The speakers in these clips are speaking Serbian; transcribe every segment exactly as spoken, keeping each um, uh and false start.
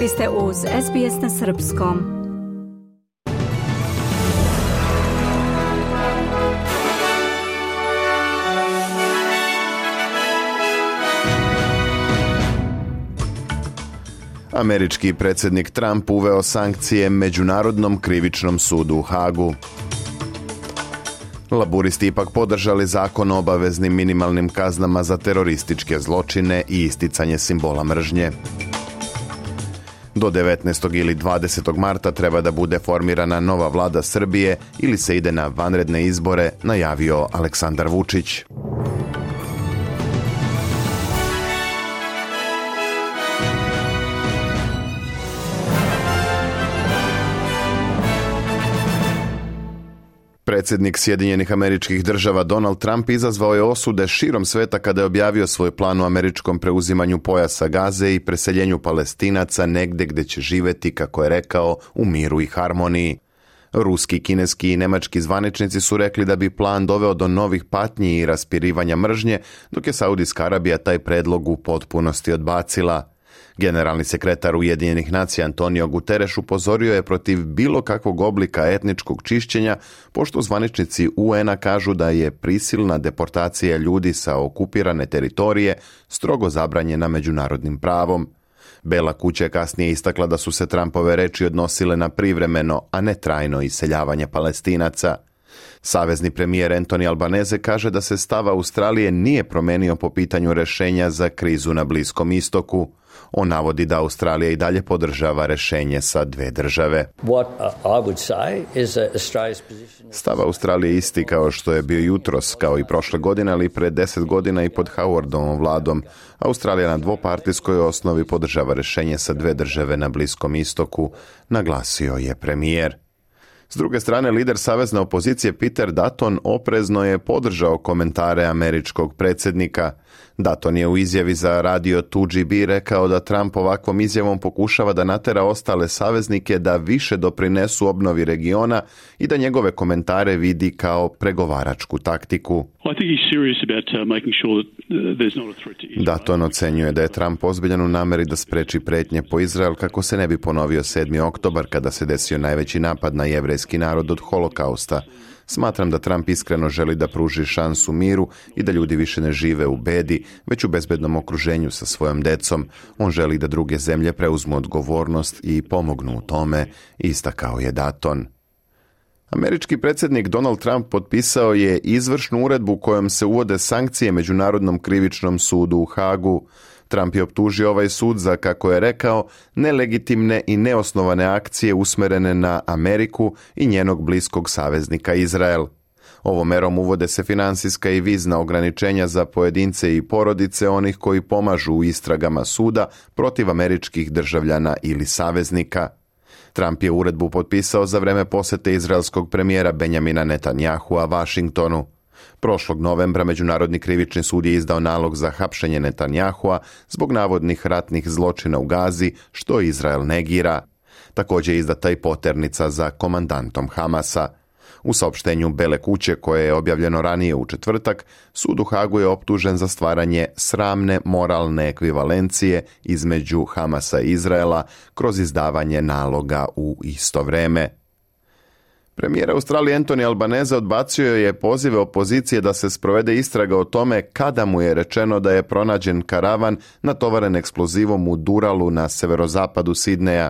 Vi ste uz S B S na srpskom. Američki predsjednik Trump uveo sankcije Međunarodnom krivičnom sudu u Hagu. Laburisti ipak podržali zakon o obaveznim minimalnim kaznama za terorističke zločine i isticanje simbola mržnje. Do devetnaestog ili dvadesetog marta treba da bude formirana nova vlada Srbije ili se ide na vanredne izbore, najavio Aleksandar Vučić. Predsjednik Sjedinjenih Američkih Država Donald Trump izazvao je osude širom sveta kada je objavio svoj plan o američkom preuzimanju pojasa Gaze i preseljenju Palestinaca negdje gdje će živjeti, kako je rekao, u miru i harmoniji. Ruski, kineski i nemački zvaničnici su rekli da bi plan doveo do novih patnji i raspirivanja mržnje, dok je Saudijska Arabija taj predlog u potpunosti odbacila. Generalni sekretar Ujedinjenih nacija Antonio Guterres upozorio je protiv bilo kakvog oblika etničkog čišćenja, pošto zvaničnici U N-a kažu da je prisilna deportacija ljudi sa okupirane teritorije strogo zabranjena međunarodnim pravom. Bela kuća je kasnije istakla da su se Trumpove reči odnosile na privremeno, a ne trajno iseljavanje Palestinaca. Savezni premijer Anthony Albanese kaže da se stav Australije nije promenio po pitanju rješenja za krizu na Bliskom istoku. On navodi da Australija i dalje podržava rješenje sa dve države. Stav Australije je isti kao što je bio jutros, kao i prošle godine, ali pred deset godina i pod Howardovom vladom. Australija na dvopartijskoj osnovi podržava rješenje sa dve države na Bliskom istoku, naglasio je premijer. S druge strane, lider savezne opozicije Peter Dutton oprezno je podržao komentare američkog predsjednika. Dutton je u izjavi za radio two G B rekao da Trump ovakvom izjavom pokušava da natera ostale saveznike da više doprinesu obnovi regiona i da njegove komentare vidi kao pregovaračku taktiku. Dutton ocenjuje da je Trump ozbiljan u nameri da spreči pretnje po Izrael kako se ne bi ponovio sedmi oktobar kada se desio najveći napad na jevrejski narod od holokausta. Smatram da Trump iskreno želi da pruži šansu miru i da ljudi više ne žive u bedi, već u bezbednom okruženju sa svojom decom. On želi da druge zemlje preuzmu odgovornost i pomognu u tome, istakao je Dutton. Američki predsjednik Donald Trump potpisao je izvršnu uredbu kojom se uvode sankcije Međunarodnom krivičnom sudu u Hagu. Trump je optužio ovaj sud za, kako je rekao, nelegitimne i neosnovane akcije usmerene na Ameriku i njenog bliskog saveznika Izrael. Ovom merom uvode se finansijska i vizna ograničenja za pojedince i porodice onih koji pomažu u istragama suda protiv američkih državljana ili saveznika. Trump je uredbu potpisao za vreme posjete izraelskog premijera Benjamina Netanyahua Vašingtonu. Prošlog novembra Međunarodni krivični sud je izdao nalog za hapšenje Netanyahua zbog navodnih ratnih zločina u Gazi, što Izrael negira. Također je izdata i poternica za komandantom Hamasa. U saopštenju Bele kuće, koje je objavljeno ranije u četvrtak, sud u Hagu je optužen za stvaranje sramne moralne ekvivalencije između Hamasa i Izraela kroz izdavanje naloga u isto vreme. Premijer Australije Anthony Albanese odbacio je pozive opozicije da se sprovede istraga o tome kada mu je rečeno da je pronađen karavan natovaren eksplozivom u Duralu na severozapadu Sidneja.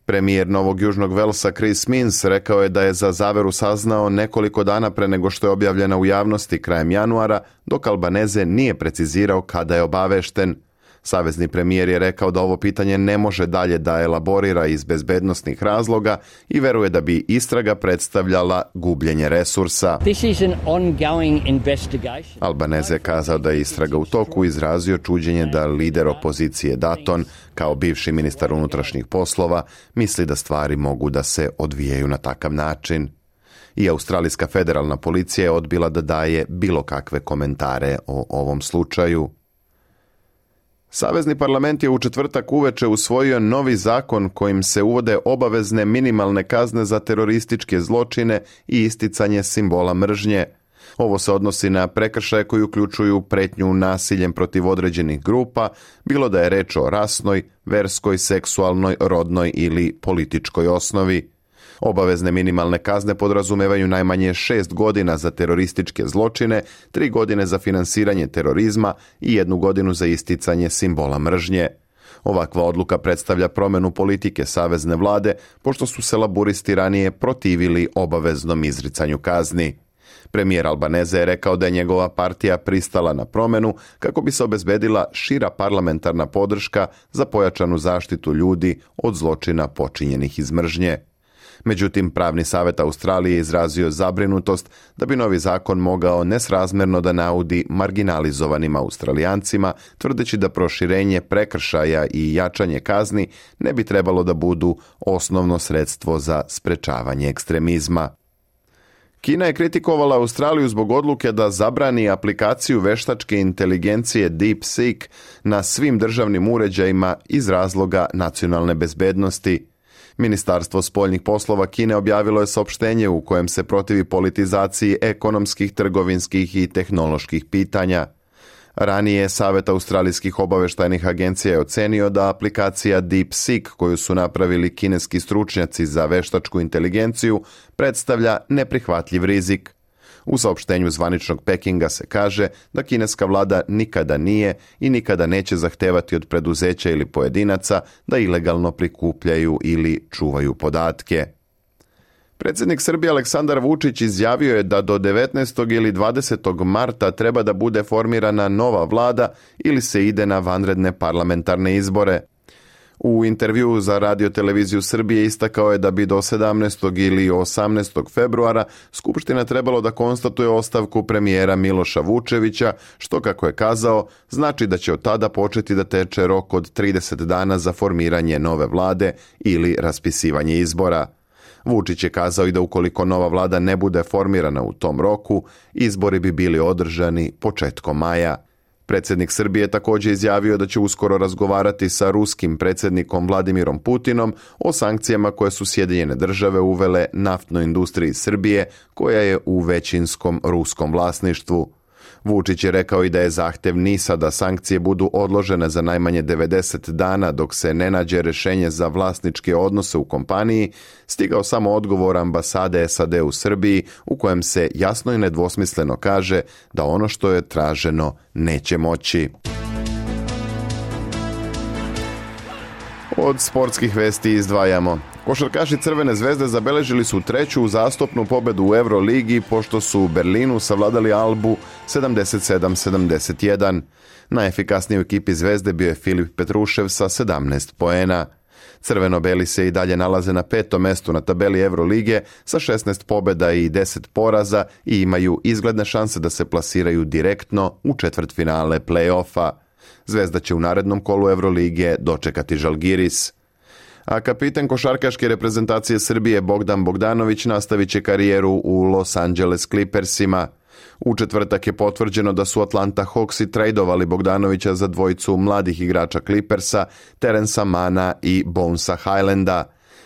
Premijer Novog Južnog Velsa Chris Minns rekao je da je za zaveru saznao nekoliko dana pre nego što je objavljena u javnosti krajem januara, dok Albanese nije precizirao kada je obavešten. Savezni premijer je rekao da ovo pitanje ne može dalje da elaborira iz bezbednosnih razloga i veruje da bi istraga predstavljala gubljenje resursa. Albanese je kazao da je istraga u toku, izrazio čuđenje da lider opozicije Dutton, kao bivši ministar unutrašnjih poslova, misli da stvari mogu da se odvijaju na takav način. I australijska federalna policija je odbila da daje bilo kakve komentare o ovom slučaju. Savezni parlament je u četvrtak uveče usvojio novi zakon kojim se uvode obavezne minimalne kazne za terorističke zločine i isticanje simbola mržnje. Ovo se odnosi na prekršaje koji uključuju pretnju nasiljem protiv određenih grupa, bilo da je reč o rasnoj, verskoj, seksualnoj, rodnoj ili političkoj osnovi. Obavezne minimalne kazne podrazumevaju najmanje šest godina za terorističke zločine, tri godine za finansiranje terorizma i jednu godinu za isticanje simbola mržnje. Ovakva odluka predstavlja promjenu politike savezne vlade, pošto su se laburisti ranije protivili obaveznom izricanju kazni. Premijer Albanese je rekao da je njegova partija pristala na promjenu kako bi se obezbedila šira parlamentarna podrška za pojačanu zaštitu ljudi od zločina počinjenih iz mržnje. Međutim, Pravni savjet Australije je izrazio zabrinutost da bi novi zakon mogao nesrazmjerno da naudi marginalizovanim Australijancima, tvrdeći da proširenje prekršaja i jačanje kazni ne bi trebalo da budu osnovno sredstvo za sprečavanje ekstremizma. Kina je kritikovala Australiju zbog odluke da zabrani aplikaciju veštačke inteligencije DeepSeek na svim državnim uređajima iz razloga nacionalne bezbednosti. Ministarstvo spoljnih poslova Kine objavilo je saopštenje u kojem se protivi politizaciji ekonomskih, trgovinskih i tehnoloških pitanja. Ranije Savet australijskih obaveštajnih agencija je ocenio da aplikacija DeepSeek, koju su napravili kineski stručnjaci za veštačku inteligenciju, predstavlja neprihvatljiv rizik. U saopštenju zvaničnog Pekinga se kaže da kineska vlada nikada nije i nikada neće zahtevati od preduzeća ili pojedinaca da ilegalno prikupljaju ili čuvaju podatke. Predsjednik Srbije Aleksandar Vučić izjavio je da do devetnaestog ili dvadesetog marta treba da bude formirana nova vlada ili se ide na vanredne parlamentarne izbore. U intervjuu za Radio televiziju Srbije istakao je da bi do sedamnaestog ili osamnaestog februara Skupština trebalo da konstatuje ostavku premijera Miloša Vučevića, što, kako je kazao, znači da će od tada početi da teče rok od trideset dana za formiranje nove vlade ili raspisivanje izbora. Vučić je kazao i da ukoliko nova vlada ne bude formirana u tom roku, izbori bi bili održani početkom maja. Predsjednik Srbije također izjavio da će uskoro razgovarati sa ruskim predsjednikom Vladimirom Putinom o sankcijama koje su Sjedinjene države uvele naftnoj industriji Srbije, koja je u većinskom ruskom vlasništvu. Vučić je rekao i da je zahtjev NIS-a da sankcije budu odložene za najmanje devedeset dana dok se ne nađe rješenje za vlasničke odnose u kompaniji, stigao samo odgovor ambasade S A D u Srbiji u kojem se jasno i nedvosmisleno kaže da ono što je traženo neće moći. Od sportskih vesti izdvajamo. Košarkaši Crvene zvezde zabeležili su treću uzastopnu pobedu u Euroligi pošto su u Berlinu savladali Albu sedamdeset sedam sedamdeset jedan. Najefikasniji u ekipi Zvezde bio je Filip Petrušev sa sedamnaest poena. Crveno-beli se i dalje nalaze na petom mestu na tabeli Eurolige sa šesnaest pobjeda i deset poraza i imaju izgledne šanse da se plasiraju direktno u četvrtfinale play-offa. Zvezda će u narednom kolu Evrolige dočekati Žalgiris. A kapitan košarkaške reprezentacije Srbije Bogdan Bogdanović nastavit će karijeru u Los Angeles Clippersima. U četvrtak je potvrđeno da su Atlanta Hawksi tradovali Bogdanovića za dvojicu mladih igrača Clippersa, Terensa Mana i Bonesa Highlanda.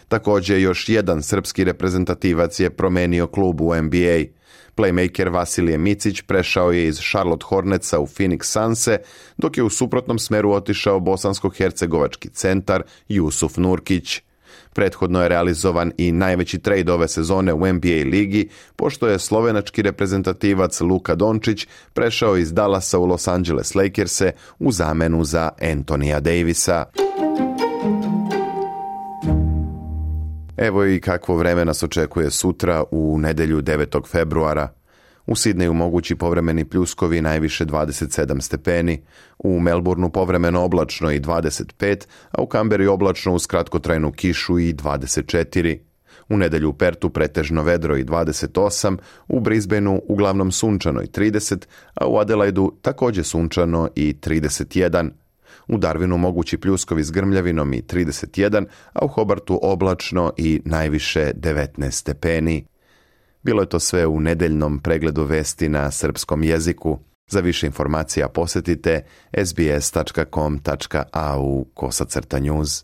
Također još jedan srpski reprezentativac je promenio klub u N B A. Playmaker Vasilije Micić prešao je iz Charlotte Hornetsa u Phoenix Sunse, dok je u suprotnom smeru otišao bosansko-hercegovački centar Jusuf Nurkić. Prethodno je realizovan i najveći trade ove sezone u N B A ligi, pošto je slovenački reprezentativac Luka Dončić prešao iz Dallasa u Los Angeles Lakerse u zamenu za Anthonyja Davisa. Evo i kakvo vreme nas očekuje sutra u nedjelju devetog februara. U Sidneju mogući povremeni pljuskovi, najviše dvadeset sedam stepeni, u Melbourneu povremeno oblačno i dvadeset pet, a u Kamberi oblačno uz kratkotrajnu kišu i dvadeset četiri. U nedjelju u Pertu pretežno vedro i dvadeset osam, u Brisbaneu uglavnom sunčano i trideset, a u Adelaidu također sunčano i trideset jedan. U Darwinu mogući pljuskovi s grmljavinom i trideset jedan, a u Hobartu oblačno i najviše devetnaest stepeni. Bilo je to sve u nedeljnom pregledu vesti na srpskom jeziku. Za više informacija posjetite s b s tačka com tačka a u kosacrta news.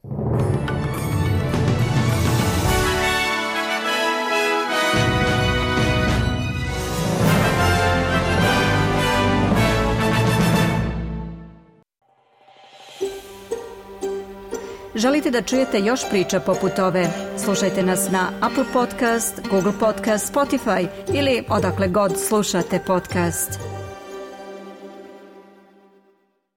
Želite da čujete još priča poput ove? Slušajte nas na Apple Podcast, Google Podcast, Spotify ili odakle god slušate podcast.